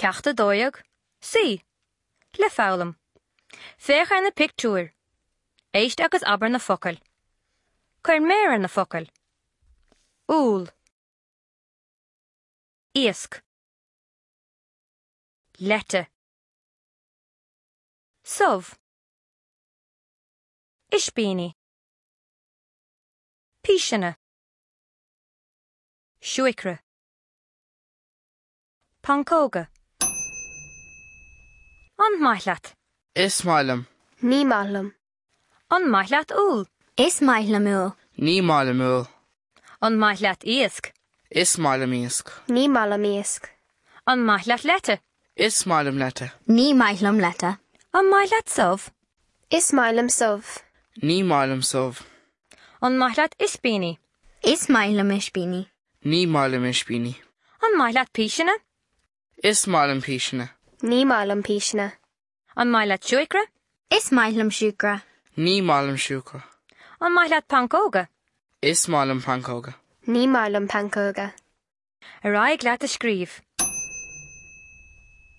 Ceacht 12, Suí le foghlaim. Féach ar na pictiúir. Éist agus abair na focail. Cuir méar ar na focail. Úll. Iasc. Leite. Subh. Ispíní. Píseanna. Siúcra. Pancóga. An maith leat? Is maith liom. Ní maith liom. An maith leat úll? Is maith liom úll. Ní maith liom úll. An maith leat iasc? Is maith liom iasc. Ní maith liom iasc. An maith leat leite? Is maith liom leite. Ní maith liom leite. An maith leat subh? Is maith liom subh. Ní maith liom subh. An maith leat ispíní? Is maith liom ispíní. Ní maith liom ispíní. An maith leat píseanna? Is maith liom píseanna. Ní maith liom píseanna. An maith leat siúcra? Is maith liom siúcra. Ní maith liom siúcra. An maith leat pancóga? Is maith liom pancóga. Ní maith liom pancóga. Ar aghaidh leat a scríobh.